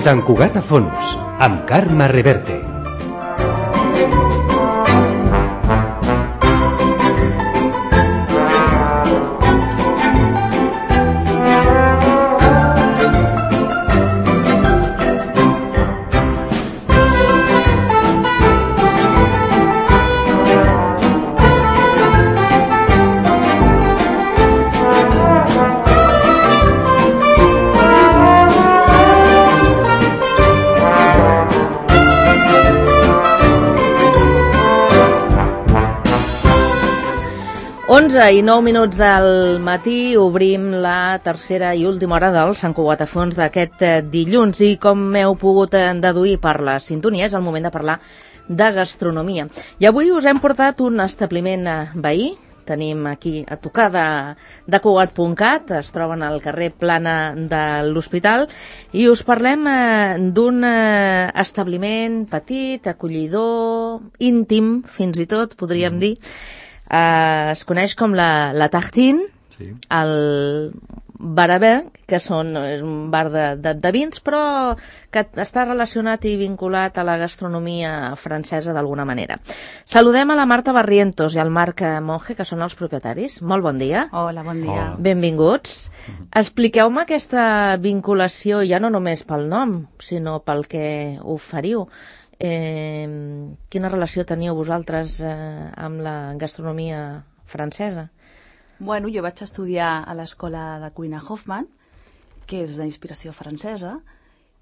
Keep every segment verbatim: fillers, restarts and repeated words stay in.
Sant Cugat a fons, amb Carme Reverte. onze i nou minuts del matí obrim la tercera i última hora del Sant Cugat a fons d'aquest dilluns i com heu pogut deduir per la sintonia és el moment de parlar de gastronomia. I avui us hem portat un establiment veí, tenim aquí a tocar de, de Cugat punt cat, es troben al carrer Plana de l'Hospital i us parlem eh, d'un eh, establiment petit, acollidor, íntim, fins i tot podríem mm. dir. Uh, es coneix com la, la Tartine, sí. El Barabé, que són, és un bar de, de, de vins, però que està relacionat i vinculat a la gastronomia francesa d'alguna manera. Saludem a la Marta Barrientos i al Marc Monge, que són els propietaris. Molt bon dia. Hola, bon dia. Hola. Benvinguts. Expliqueu-me aquesta vinculació, ja no només pel nom, sinó pel que oferiu. Eh, quina relació teniu vosaltres eh, amb la gastronomia francesa? Bueno, jo vaig estudiar a l'escola de cuina Hoffman, que és d'inspiració francesa,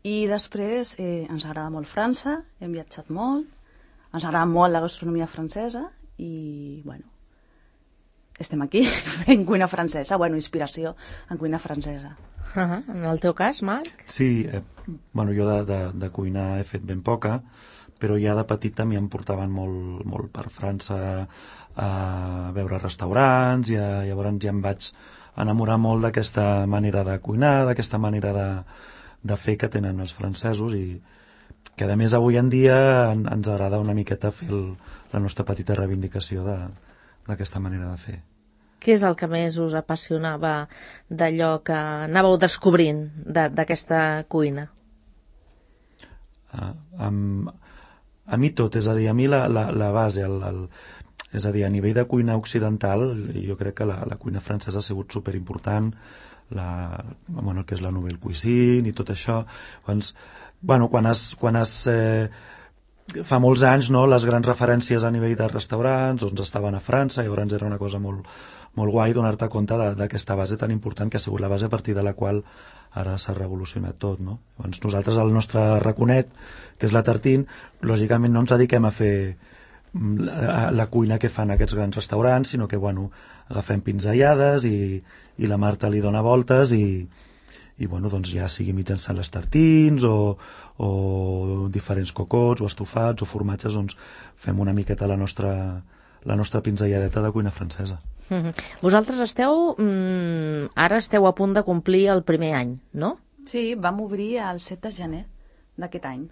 i després eh, ens agrada molt França, hem viatjat molt, ens agrada molt la gastronomia francesa i, bueno, estem aquí fent cuina francesa, bueno, inspiració en cuina francesa. Uh-huh. En el teu cas, Marc? Sí, eh, bueno, jo de, de, de cuinar he fet ben poca, però ja de petit també em portaven molt, molt per França a veure restaurants i a, llavors ja em vaig enamorar molt d'aquesta manera de cuinar, d'aquesta manera de, de fer que tenen els francesos i que a més avui en dia en, ens agrada una miqueta fer el, la nostra petita reivindicació d'aquesta manera de fer. Què és el que més us apassionava d'allò que anàveu descobrint d'aquesta cuina? Ah, amb, a mi tot, és a dir, a mi la, la, la base, el, el, és a dir, a nivell de cuina occidental, jo crec que la, la cuina francesa ha sigut superimportant, la, bueno, el que és la nouvelle cuisine i tot això. Doncs, bueno, quan has... Quan has eh, fa molts anys, no, les grans referències a nivell de restaurants doncs estaven a França, llavors era una cosa molt, molt guai donar-te compte d'aquesta base tan important que ha sigut la base a partir de la qual ara s'ha revolucionat tot, no? Doncs nosaltres, el nostre raconet, que és la Tartine, lògicament no ens dediquem a fer la, la cuina que fan aquests grans restaurants, sinó que, bueno, agafem pinzellades i, i la Marta li dona voltes i, i bueno, doncs ja sigui mitjançant les tartines o, o diferents cocots o estofats o formatges, doncs fem una miqueta la nostra, la nostra pinzelladeta de cuina francesa. Mm-hmm. Vosaltres esteu, mm, ara esteu a punt de complir el primer any, no? Sí, vam obrir el set de gener d'aquest any.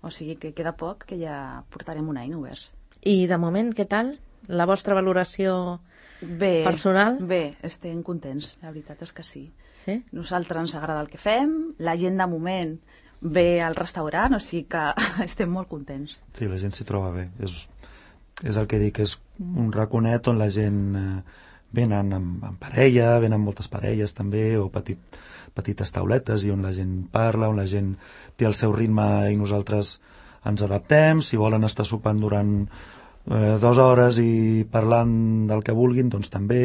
O sigui que queda poc, que ja portarem un any oberts. I de moment, què tal? La vostra valoració bé, personal? Bé, estem contents, la veritat és que sí. Sí? Nosaltres ens agrada el que fem, la gent de moment ve al restaurant, o sigui que estem molt contents. Sí, la gent s'hi troba bé. És, és el que dic, és un raconet on la gent eh, venen amb, amb parella, venen moltes parelles també, o petit, petites tauletes, i on la gent parla, on la gent té el seu ritme i nosaltres ens adaptem. Si volen estar sopant durant eh, dues hores i parlant del que vulguin, doncs també,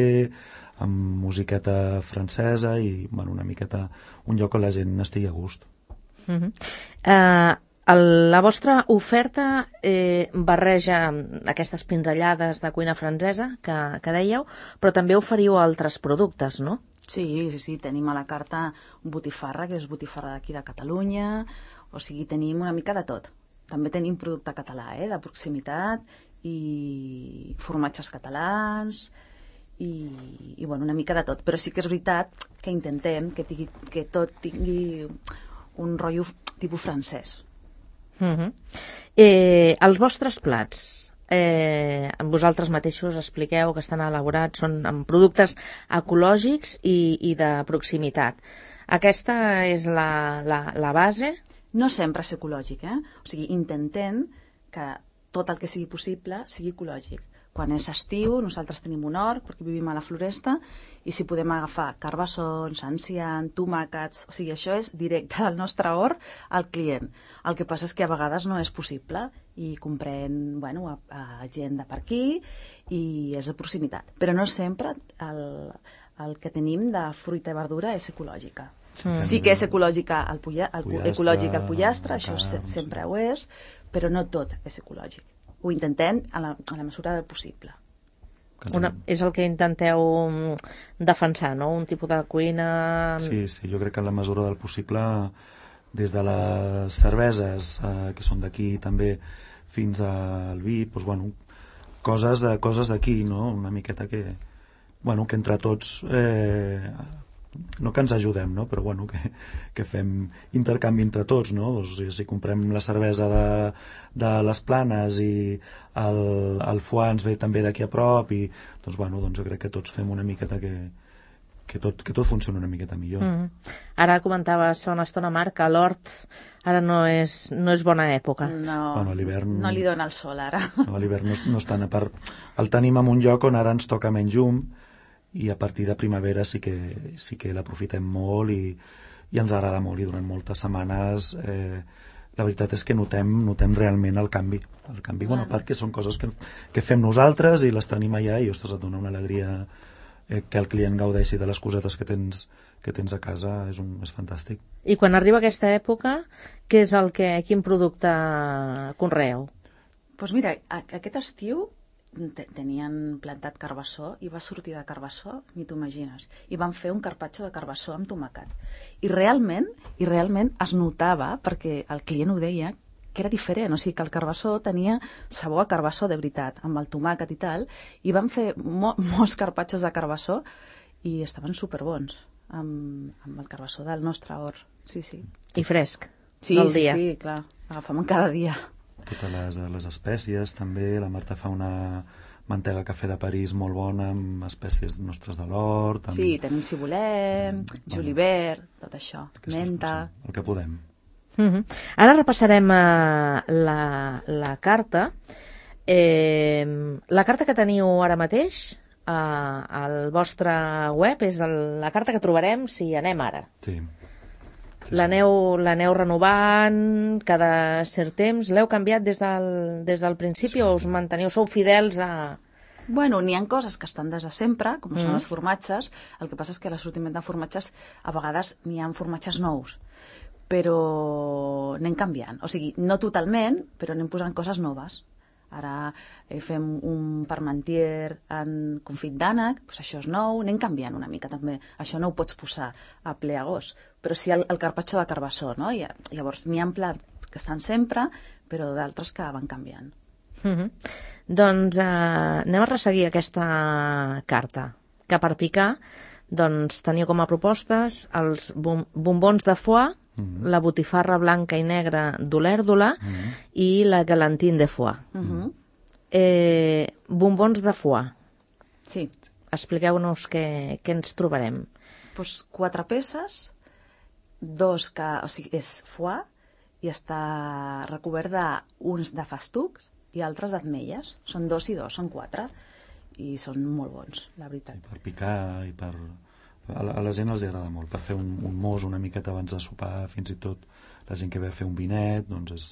amb musiqueta francesa i bueno, una miqueta un lloc on la gent estigui a gust. Uh-huh. Uh, el, la vostra oferta eh, barreja aquestes pinzellades de cuina francesa que, que dèieu, però també oferiu altres productes, no? Sí, sí, sí, tenim a la carta botifarra, que és botifarra d'aquí de Catalunya, o sigui, tenim una mica de tot. També tenim producte català, eh, de proximitat, i formatges catalans, i, i bueno, una mica de tot. Però sí que és veritat que intentem que, tingui, que tot tingui un rotllo tipus francès. Uh-huh. eh, els vostres plats, eh, vosaltres mateixos expliqueu que estan elaborats, són amb productes ecològics i, i de proximitat. Aquesta és la, la, la base? No sempre és ecològic, eh? O sigui, intentem que tot el que sigui possible sigui ecològic. Quan és estiu, nosaltres tenim un hort, perquè vivim a la floresta, i si podem agafar carbassons, enciam, tomàquets... O sigui, això és directe del nostre hort al client. El que passa és que a vegades no és possible i comprem, bueno, a, a gent de per aquí i és de proximitat. Però no sempre el, el que tenim de fruita i verdura és ecològica. Mm. Sí que és ecològica el, pulla, el pollastre, ecològic el pollastre, això carn, se, sempre ho és, però no tot és ecològic. Ho intentem a la, a la mesura del possible. Una, és el que intenteu defensar, no? Un tipus de cuina... Sí, sí, jo crec que en la mesura del possible, des de les cerveses, eh, que són d'aquí també, fins al vi, doncs, bueno, coses de coses d'aquí, no? Una miqueta que, bueno, que entre tots... Eh, no que ens ajudem, no? Però bueno, que, que fem intercanvi entre tots, no? O sigui, si comprem la cervesa de, de les Planes i el, el foie ens ve també d'aquí a prop i doncs, bueno, doncs jo crec que tots fem una miqueta que, que, tot, que tot funciona una miqueta millor. Mm. Ara comentaves fa una estona, Marc, que l'hort ara no és, no és bona època. No, Bueno, a l'hivern... no li dona el sol ara. No, a l'hivern no, no estan a part... El tenim en un lloc on ara ens toca menys llum i a partir de primavera sí que, sí que l'aprofitem molt i, i ens agrada molt, i durant moltes setmanes eh, la veritat és que notem, notem realment el canvi, el canvi, bueno, perquè són coses que, que fem nosaltres i les tenim allà i, ostres, et dona una alegria eh, que el client gaudeixi de les cosetes que tens, que tens a casa, és, un, és fantàstic. I quan arriba aquesta època, què és el que, quin producte conreeu? Doncs pues mira, aquest estiu tenien plantat carbassó i va sortir de carbassó, ni t'ho imagines, i van fer un carpaccio de carbassó amb tomàquet i realment, i realment es notava, perquè el client ho deia, que era diferent, o sigui que el carbassó tenia sabor a carbassó de veritat, amb el tomàquet i tal, i van fer mo molts carpaccios de carbassó i estaven superbons amb, amb el carbassó del nostre hort, sí, sí. I fresc, sí, del sí, dia. Sí, clar, agafem cada dia. Totes les, les espècies també, la Marta fa una mantega cafè de París molt bona amb espècies nostres de l'hort amb... Sí, tenim cibulet, mm, julivert, tot això, menta... Sí, el que podem. Uh-huh. Ara repassarem uh, la, la carta. Eh, la carta que teniu ara mateix uh, al vostre web és el, la carta que trobarem si anem ara. Sí. Sí, L'aneu l'aneu renovant cada cert temps? L'heu canviat des del, des del principi sí. o us manteniu? Sou fidels a... Bueno, n'hi ha coses que estan des de sempre, com mm. són els formatges. El que passa és que a l'assortiment de formatges a vegades n'hi ha formatges nous, però anem canviant. O sigui, no totalment, però anem posant coses noves. Ara eh, fem un parmentier en confit d'ànec, doncs això és nou, anem canviant una mica també. Això no ho pots posar a ple agost, però sí el, el carpaccio de carbassó, no? I, llavors, n'hi ha plats que estan sempre, però d'altres que van canviant. Mm-hmm. Doncs eh, anem a resseguir aquesta carta, que per picar doncs, teniu com a propostes els bom bombons de foie, mm-hmm. la botifarra blanca i negra d'olèrdola mm-hmm. i la galantine de foie. Mm-hmm. eh, bombons de foie. Sí. Expliqueu-nos què, què ens trobarem. Pues quatre peces, dos que, o sigui, és foie i està recobert d'uns de festucs i altres d'ametles. Són dos i dos, són quatre. I són molt bons, la veritat. Sí, per picar i per... A la, a la gent els agrada molt, per fer un, un mos una miqueta abans de sopar, fins i tot la gent que ve a fer un vinet, doncs és,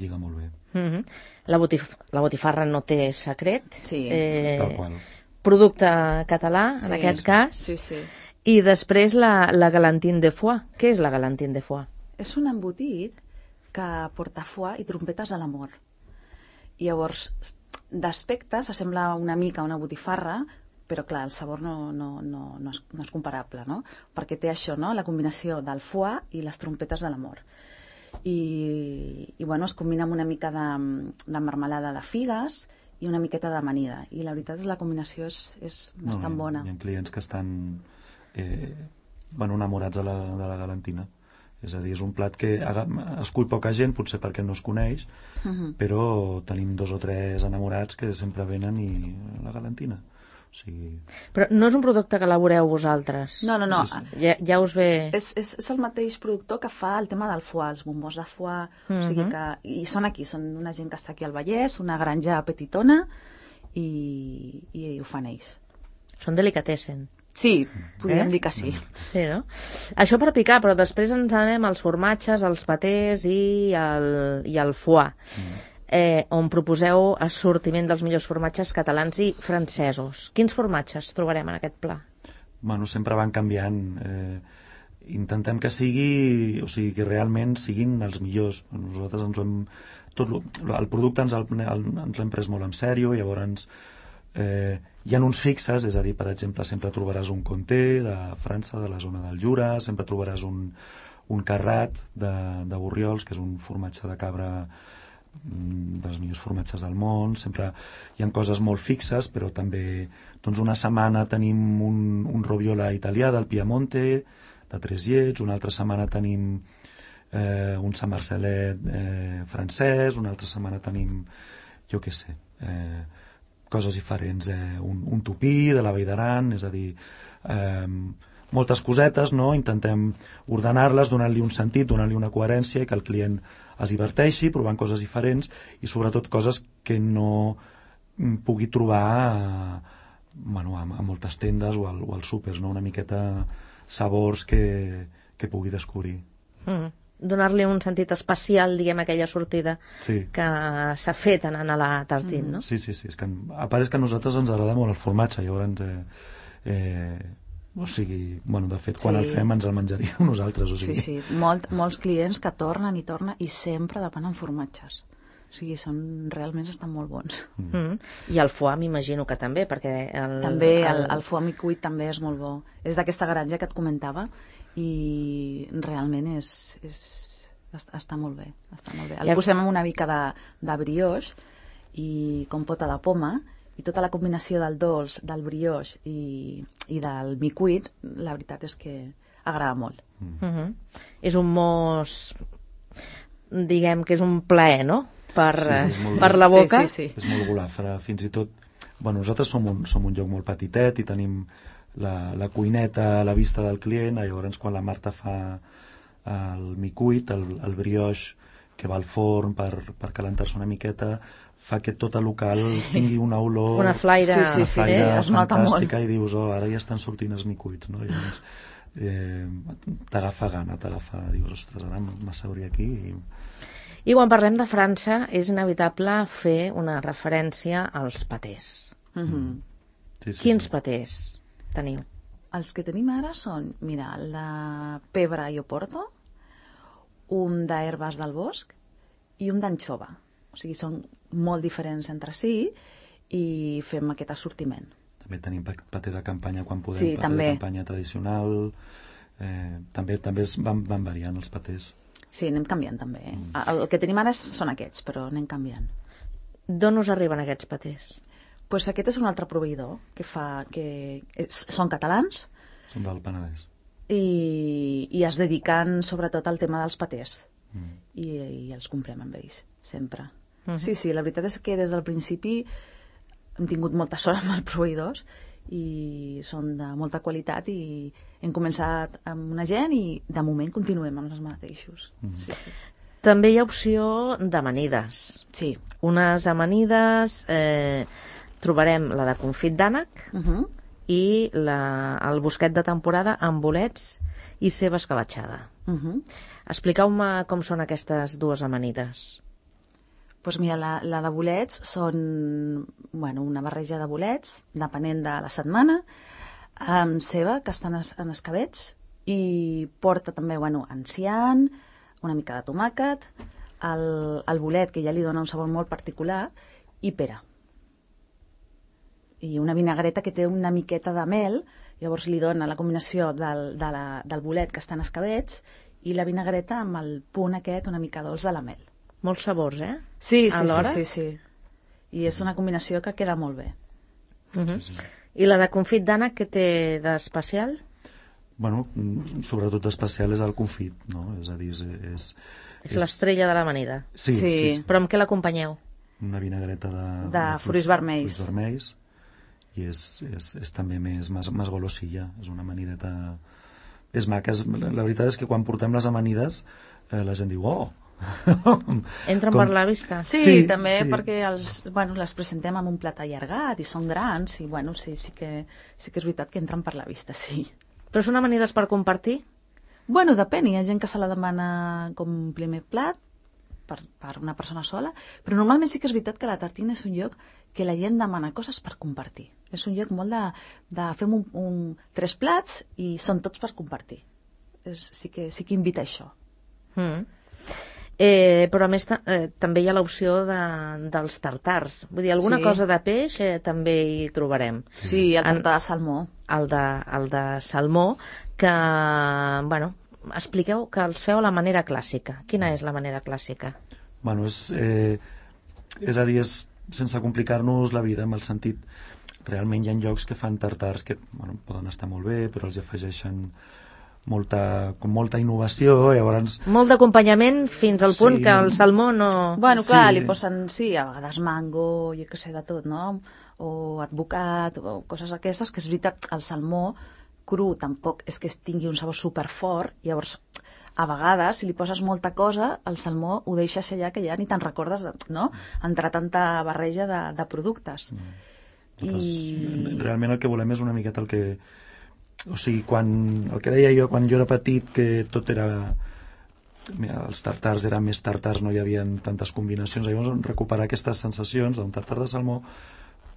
lliga molt bé. Mm-hmm. la, botif la botifarra no té secret. Sí, eh, tal qual. Producte català, sí, en aquest sí. cas. Sí, sí. I després la, la galantine de foie. Què és la galantine de foie? És un embotit que porta foie i trompetes a l'amor. I llavors, d'aspecte s'assembla una mica a una botifarra, però clar, el sabor no, no, no, no, és, no és comparable, no? Perquè té això, no? La combinació del foie i les trompetes de l'amor. I, i bueno, es combina amb una mica de, de marmelada de figues i una miqueta d'amanida. I la veritat és que la combinació és, és bastant no, bona. Hi ha clients que estan eh, bueno, enamorats de la, de la galantina. És a dir, és un plat que escull poca gent, potser perquè no es coneix, uh-huh. però tenim dos o tres enamorats que sempre venen i la galantina. O sigui... Però no és un producte que elaboreu vosaltres? No, no, no. Ja, ja us ve... És, és, és el mateix productor que fa el tema del foie, els bombons de foie, uh-huh. o sigui que... I són aquí, són una gent que està aquí al Vallès, una granja petitona, i, i ho fan ells. Són delicatessen. Sí, podríem eh? dir que sí. Sí, no? Això per picar, però després ens anem als formatges, als patés i al, i al foie, mm. eh, on proposeu assortiment dels millors formatges catalans i francesos. Quins formatges trobarem en aquest pla? Bueno, sempre van canviant. Eh, intentem que sigui, o sigui, que realment siguin els millors. Nosaltres ens ho hem... Tot lo, el producte ens l'hem pres molt en sèrio, llavors... Eh, hi ha uns fixes, és a dir, per exemple, sempre trobaràs un Comté de França, de la zona del Jura, sempre trobaràs un, un Carrat de, de Borriols, que és un formatge de cabra dels millors formatges del món. Sempre hi ha coses molt fixes, però també doncs una setmana tenim un, un Robiola italià del Piemonte, de Tres Llets, una altra setmana tenim eh, un Sant Marcelet eh, francès, una altra setmana tenim, jo què sé... Eh, coses diferents, eh, un, un tupí de la Vall d'Aran, és a dir, eh, moltes cosetes, no? Intentem ordenar-les, donar-li un sentit, donar-li una coherència i que el client es diverteixi, provant coses diferents i sobretot coses que no pugui trobar a, bueno, a, a moltes tendes o, al, o als súpers, no? Una miqueta sabors que, que pugui descobrir. Mm. Donar-li un sentit especial, diguem, a aquella sortida sí. que s'ha fet anant a la Tartine, no? Sí, sí, sí. És que, a part és que a nosaltres ens agrada molt el formatge, llavors... Eh, eh, o sigui, bueno, de fet, quan sí. el fem ens el menjaríem nosaltres, o sigui... Sí, sí, Molt, molts clients que tornen i tornen i sempre demanen formatges. O sigui, són, realment estan molt bons. Mm. Mm. I el foie m'imagino que també, perquè... El, també, el, el foie micuit també és molt bo. És d'aquesta granja que et comentava i realment és, és, està, està molt bé, està molt bé. El ja... posem amb una mica de, de brioix i compota de poma i tota la combinació del dolç, del brioix i, i del micuit, la veritat és que agrada molt. Mm. Mm-hmm. És un mos, diguem que és un plaer, no? Per, sí, sí, per la boca. Sí, sí, sí. És molt golafre, fins i tot... Bueno, nosaltres som un, som un lloc molt petitet i tenim la, la cuineta a la vista del client, llavors quan la Marta fa el micuit, el, el brioix que va al forn per, per calentar-se una miqueta, fa que tot el local sí. tingui una olor, una flaire, sí, sí, sí, una flaire sí, fantàstica i dius, oh, ara ja estan sortint els micuits, no? I llavors eh, t'agafa gana, t'agafa, dius, ostres, ara m'asseuria aquí i... I quan parlem de França és inevitable fer una referència als patés. Mm-hmm. Sí, sí, Quins sí. patés teniu? Els que tenim ara són, mira, el de pebre i oporto, un d'herbes del bosc i un d'anxova. O sigui, són molt diferents entre si i fem aquest assortiment. També tenim paté de campanya quan podem, sí, paté també. de campanya tradicional, eh, també també es van, van variant els patés. Sí, anem canviant també. Eh? Mm. El que tenim ara són aquests, però anem canviant. D'on us arriben aquests patés? Pues aquest és un altre proveïdor que fa que és, són catalans. Són del Penedès. I, i es dediquen sobretot al tema dels patés. Mm. I, i els comprem amb ells, sempre. Mm-hmm. Sí, sí, la veritat és que des del principi hem tingut molta sort amb els proveïdors i són de molta qualitat i hem començat amb una gent i de moment continuem amb els mateixos. Mm. Sí, sí. També hi ha opció d'amanides. Sí. Unes amanides, eh, trobarem la de confit d'ànec uh-huh. i la, el bosquet de temporada amb bolets i ceba escabatxada. Uh-huh. Expliqueu-me com són aquestes dues amanides. Doncs mira, la, la de bolets són bueno, una barreja de bolets, depenent de la setmana, amb ceba, que estan en escabets, i porta també bueno, enciam, una mica de tomàquet, el, el bolet, que ja li dona un sabor molt particular, i pera. I una vinagreta que té una miqueta de mel, llavors li dona la combinació del, de la, del bolet, que està en escabets, i la vinagreta amb el punt aquest una mica dolç de la mel. Molts sabors, eh? Sí, sí, sí, sí, sí. I és una combinació que queda molt bé. Uh-huh. Sí, sí. I la de confit d'ànec, què té d'especial? bueno, sobretot especial és el confit, no? És a dir, és... És, és l'estrella de l'amanida. Sí, Sí. sí, sí. Però amb què l'acompanyeu? Una vinagreta de... De fruits vermells. Fruits vermells, i és, és, és també més, més, més golosilla, és una amanideta... És maca, és, la, la veritat és que quan portem les amanides eh, la gent diu, oh! Entren Com... per la vista? Sí, Sí, també sí. perquè els, bueno, les presentem amb un plat allargat i són grans i bueno, sí, sí, que, sí que és veritat que entren per la vista, sí. Però són amanides per compartir? Bueno, depèn, hi ha gent que se la demana com un primer plat per, per una persona sola, però normalment sí que és veritat que la tartina és un lloc que la gent demana coses per compartir. És un lloc molt de, de fem un, un, tres plats i són tots per compartir. És, sí, que, sí que invita a això. Mm. Eh, però a més ta eh, també hi ha l'opció de, dels tartars. Vull dir, alguna Sí. cosa de peix eh, també hi trobarem. Sí, el En- tartar de salmó. El de, el de salmó, que, bueno, expliqueu que els feu a la manera clàssica. Quina és la manera clàssica? Bueno, és, eh, és a dir, és sense complicar-nos la vida, en el sentit, realment hi ha llocs que fan tartars que bueno, poden estar molt bé, però els hi afegeixen molta, com molta innovació, llavors... Molt d'acompanyament fins al punt Sí. que el salmó no... Bueno, clar, Sí. li posen, sí, a vegades mango, jo què sé, de tot, no? O advocat, o coses aquestes, que és veritat, el salmó cru tampoc és que tingui un sabor superfort, llavors, a vegades, si li poses molta cosa, el salmó ho deixes allà que ja ni te'n recordes, de, no? Entre tanta barreja de, de productes. Nosaltres, I... Realment el que volem és una miqueta el que... O sigui, quan, el que deia jo quan jo era petit, que tot era... Mira, els tartars eren més tartars, no hi havia tantes combinacions. Llavors, recuperar aquestes sensacions d'un tartar de salmó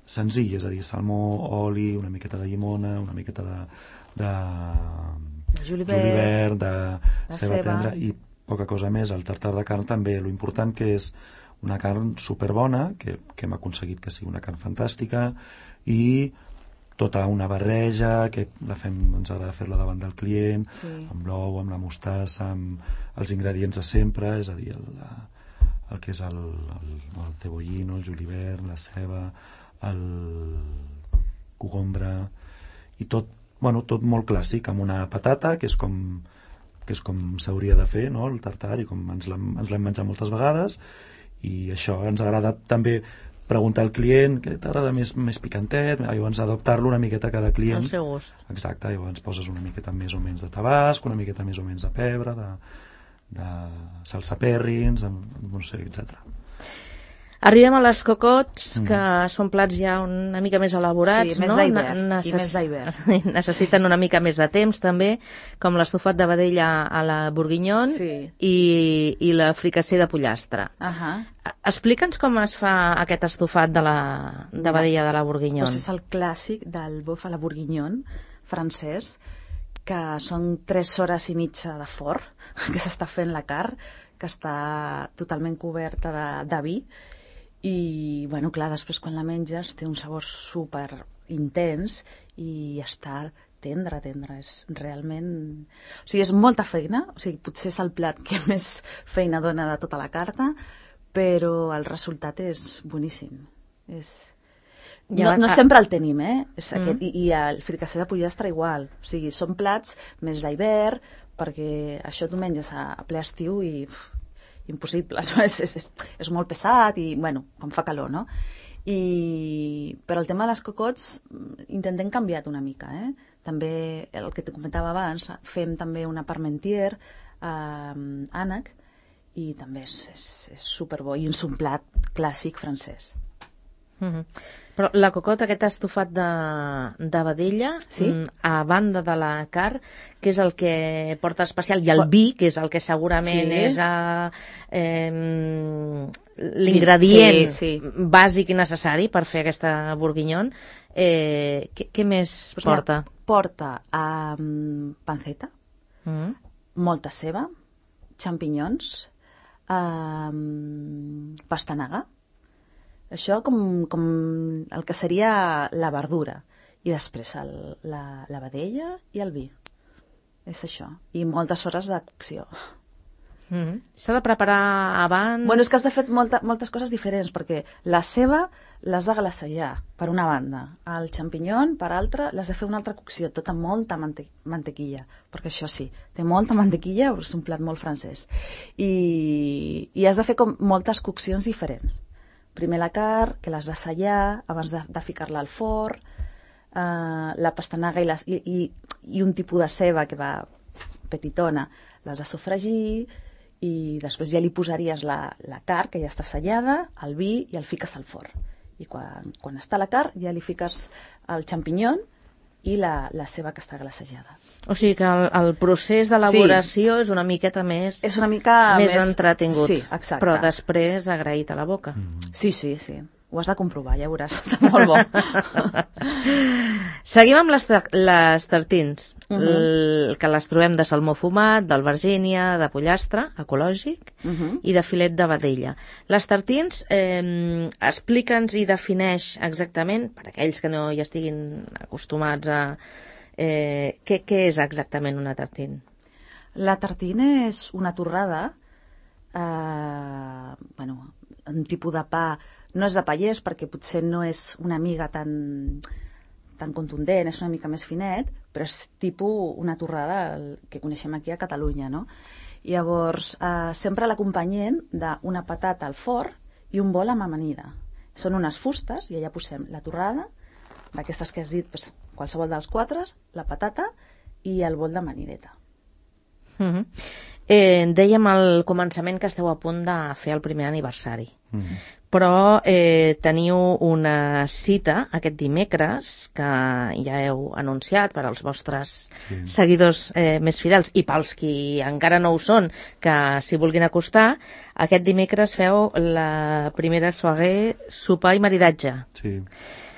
senzill, és a dir, salmó, oli, una miqueta de llimona, una miqueta de... de Julivert, julivert, de de ceba ceba. tendra i poca cosa més. El tartar de carn també, lo important que és una carn superbona, que, que hem aconseguit que sigui una carn fantàstica, i tota una barreja, que la fem, ens agrada fer-la davant del client, Sí. amb l'ou, amb la mostassa, amb els ingredients de sempre, és a dir, el, el que és el, el, el cebollino, el julivert, la ceba, el cogombre, i tot, bueno, tot molt clàssic, amb una patata, que és com, que és com s'hauria de fer, no?, el tartar, i com ens l'hem ens l'hem menjat moltes vegades, i això ens agrada també preguntar al client què t'agrada més, més picantet, llavors adaptar-lo una miqueta a cada client. Al seu gust. Exacte, llavors poses una miqueta més o menys de tabasc, una miqueta més o menys de pebre, de, de salsa perrins, no sé, etcètera. Arribem a les cocots, Mm. que són plats ja una mica més elaborats, Sí, més no? d'hivern, Ne- i més d'hivern. Necessiten una mica més de temps, també, com l'estofat de vedella a la bourguignon Sí. i, i la fricasser de pollastre. Ahà. Explica'ns com es fa aquest estofat de, la, de vedella de la bourguignon. Pues és el clàssic del bœuf a la bourguignon francès, que són tres hores i mitja de forn, que s'està fent la carn, que està totalment coberta de, de vi, i, bueno, clar, després quan la menges té un sabor super intens i està tendre, tendre. És realment... O sigui, és molta feina, o sigui, potser és el plat que més feina dona de tota la carta, però el resultat és boníssim. És... No, no sempre el tenim, eh? És aquest, mm. I, I el fricasser de pollastre igual. O sigui, són plats més d'hivern, perquè això tu menges a, a ple estiu i uf, impossible, no? És, és, és, és molt pesat i, bueno, com fa calor, no? I... Però el tema de les cocots intentem canviar una mica, eh? També, el que te comentava abans, fem també una parmentier eh, ànec, i també és, és, és superbo, i és un plat clàssic francès. Mm-hmm. Però la cocota, aquest estofat de, de vedella, Sí? a banda de la carn, que és el que porta especial, i el vi, que és el que segurament Sí. és a, eh, l'ingredient Sí, sí. bàsic i necessari per fer aquesta bourguignon, eh, què, què més Pues porta? mira, porta um, panceta, Mm. molta ceba, xampinyons, um, pastanaga, això com, com el que seria la verdura, i després el, la, la vedella i el vi. És això. I moltes hores de cocció. Mm -hmm. S'ha de preparar abans? Bueno, és que has de fer molta, moltes coses diferents, perquè la ceba l'has de glacejar, per una banda. El xampinyon, per altra, l'has de fer una altra cocció, tota amb mante mantequilla, perquè això sí, té molta mantequilla, és un plat molt francès. I, i has de fer com moltes coccions diferents. Primer la carn, que l'has d'assallar abans de, de ficar-la al forn, uh, la pastanaga i, les, i, i, i un tipus de ceba que va petitona, l'has de sofregir, i després ja li posaries la, la carn, que ja està assallada, el vi, i el fiques al forn. I quan, quan està la carn ja li fiques el xampinyon i la, la ceba que està glacejada. O sigui que el, el procés d'elaboració sí. és una miqueta més, és una mica més, més entretingut, sí, exacte. Però després agraït a la boca. Mm. Sí, sí, sí. Ho has de comprovar, ja veuràs, està molt bo. Seguim amb les, les tartins, uh -huh. el, que les trobem de salmó fumat, d'albergínia, de pollastre, ecològic, uh -huh. i de filet de vedella. Les tartins, eh, explica'ns i defineix exactament, per aquells que no hi estiguin acostumats a... Eh, què, què és exactament una tartin? La tartina és una torrada, eh, bueno, un tipus de pa. No és de pallès perquè potser no és una miga tan, tan contundent, és una mica més finet, però és tipus una torrada que coneixem aquí a Catalunya, no? I llavors, eh, sempre l'acompanyem d'una patata al forn i un bol amb amanida. Són unes fustes i allà posem la torrada, d'aquestes que has dit, pues, qualsevol dels quatre, la patata i el bol d'amanideta. Mm-hmm. eh, dèiem al començament que esteu a punt de fer el primer aniversari. Mm-hmm. Però eh, teniu una cita aquest dimecres que ja heu anunciat per als vostres sí. seguidors eh, més fidels i pels qui encara no ho són, que s'hi vulguin acostar. Aquest dimecres feu la primera soirée sopar i maridatge. Sí.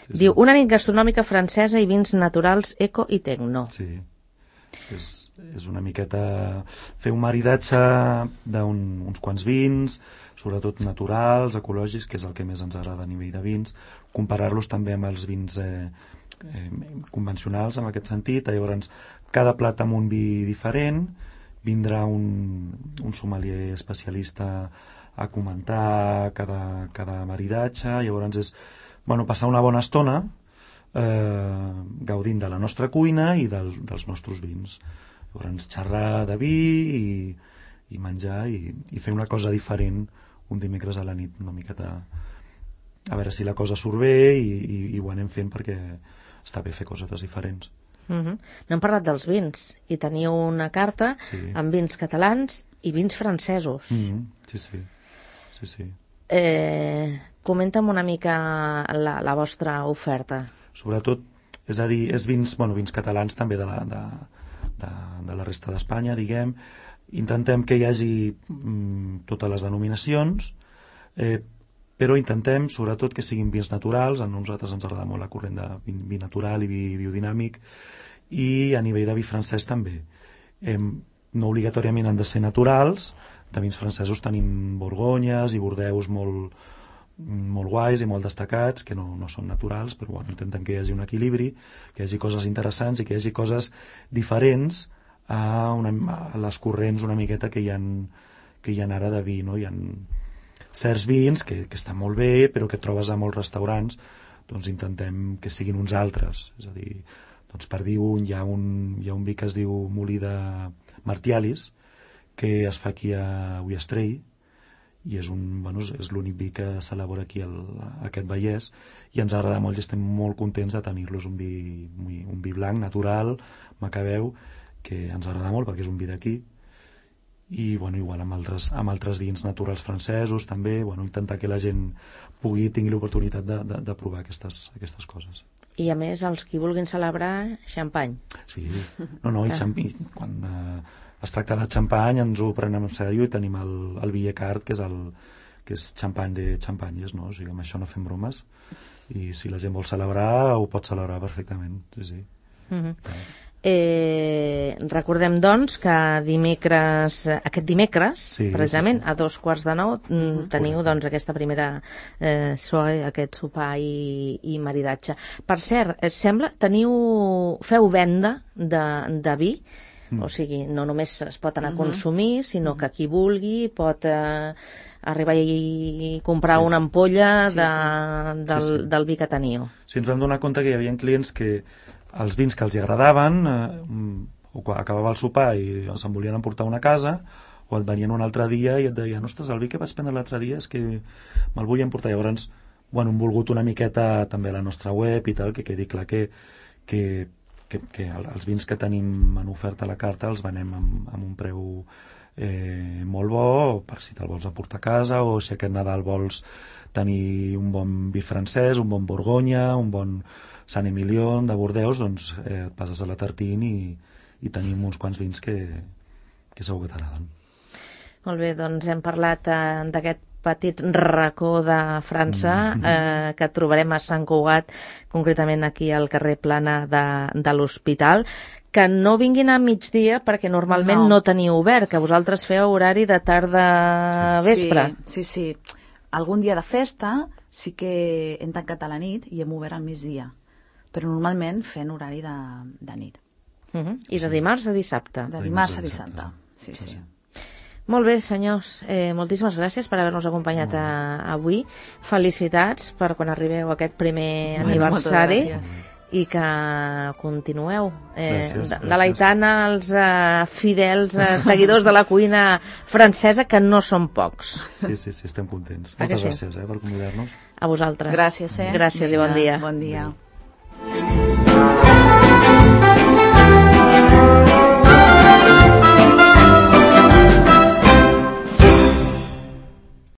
Sí, sí. Diu, una nit gastronòmica francesa i vins naturals, eco i tecno. Sí, és, és una miqueta fer un maridatge d'uns un, quants vins, sobretot naturals, ecològics, que és el que més ens agrada a nivell de vins, comparar-los també amb els vins eh, eh, convencionals en aquest sentit. Llavors, cada plat amb un vi diferent, vindrà un, un sommelier especialista a comentar cada, cada maridatge. Llavors és bueno, passar una bona estona eh, gaudint de la nostra cuina i del, dels nostres vins. Llavors xerrar de vi i, i menjar i, i fer una cosa diferent un dimecres a la nit, una miqueta a veure si la cosa surt bé i, i, i ho anem fent perquè està bé fer coses diferents. Mm-hmm. No hem parlat dels vins i teniu una carta sí. amb vins catalans i vins francesos. Mm-hmm. Sí, sí. sí, sí. Eh, comenta'm una mica la, la vostra oferta. Sobretot, és a dir, és vins, bueno, vins catalans també de la, de, de, de la resta d'Espanya, diguem. Intentem que hi hagi mm, totes les denominacions, eh, però intentem sobretot que siguin vins naturals. A nosaltres ens agrada molt la corrent de vi, vi natural i vi biodinàmic, i a nivell de vi francès també. Eh, no obligatòriament han de ser naturals. De vins francesos tenim borgonyes i bordeus molt, molt guais i molt destacats, que no, no són naturals, però bueno, intentem que hi hagi un equilibri, que hi hagi coses interessants i que hi hagi coses diferents a, una, a les corrents una miqueta que hi ha, que hi ha ara de vi, no? Hi ha certs vins que, que estan molt bé, però que trobes a molts restaurants, doncs intentem que siguin uns altres. És a dir, doncs per dir un, hi ha un, hi ha un vi que es diu Molí de Martialis, que es fa aquí a Ullastrell, i és, un, bueno, és l'únic vi que s'elabora aquí al, a aquest Vallès, i ens agrada molt i estem molt contents de tenir-los, un vi, un vi blanc, natural, macabeu, que ens agrada molt perquè és un vi d'aquí, i bueno, igual amb altres, amb altres vins naturals francesos també, bueno, intentar que la gent pugui tingui l'oportunitat de, de, de provar aquestes, aquestes coses. I a més, els qui vulguin celebrar, xampany. Sí, no, no, i xampany, quan eh, es tracta de xampany ens ho prenem en sèrio i tenim el, el Villecart, que és el que és xampany de xampanyes, no? O sigui, amb això no fem bromes, i si la gent vol celebrar ho pot celebrar perfectament, sí, sí. Mm-hmm. Eh, recordem doncs que dimecres, aquest dimecres sí, precisament sí, sí. a dos quarts de nou mm, teniu doncs aquesta primera eh, soirée, aquest sopar i, i maridatge. Per cert, eh, sembla teniu feu venda de, de vi Mm. O sigui, no només es pot anar a consumir, sinó que qui vulgui pot eh, arribar i comprar sí. una ampolla sí, de, sí. Del, sí, sí. del vi que teniu. Sí, ens vam donar compte que hi havia clients que els vins que els agradaven, eh, o quan acabava el sopar i se'n volien emportar una casa, o et venien un altre dia i et deien, ostres, el vi que vaig prendre l'altre dia és que me'l vull emportar. Llavors, bueno, hem volgut una miqueta també a la nostra web i tal, que quedi clar que, que, que, que els vins que tenim en oferta a la carta els venem amb, amb un preu eh, molt bo, per si te'l vols emportar a casa, o si aquest Nadal vols tenir un bon vi francès, un bon Borgonya, un bon Sant Emilion de Bordeus, doncs eh, et passes a la Tartine i, i tenim uns quants vins que, que segur que t'agraden. Molt bé, doncs hem parlat eh, d'aquest petit racó de França eh, que trobarem a Sant Cugat, concretament aquí al carrer Plana de, de l'Hospital. Que no vinguin a migdia perquè normalment no, no teniu obert, que vosaltres feu horari de tarda-vespre. Sí, sí, sí. Algun dia de festa sí que hem tancat a la nit i hem obert al migdia, però normalment fent horari de, de nit. Uh -huh. I de dimarts a dissabte. De dimarts a dissabte, sí, sí. sí. Molt bé, senyors. Eh, moltíssimes gràcies per haver-nos acompanyat a, avui. Felicitats per quan arribeu a aquest primer bueno, aniversari i que continueu eh, gràcies, gràcies. deleitant els eh, fidels eh, seguidors de la cuina francesa, que no són pocs. Sí, sí, sí, estem contents. A Moltes sí? gràcies eh, per convidar-nos. A vosaltres. Gràcies, eh? Gràcies. Vinga, i bon dia. Bon dia. Adéu.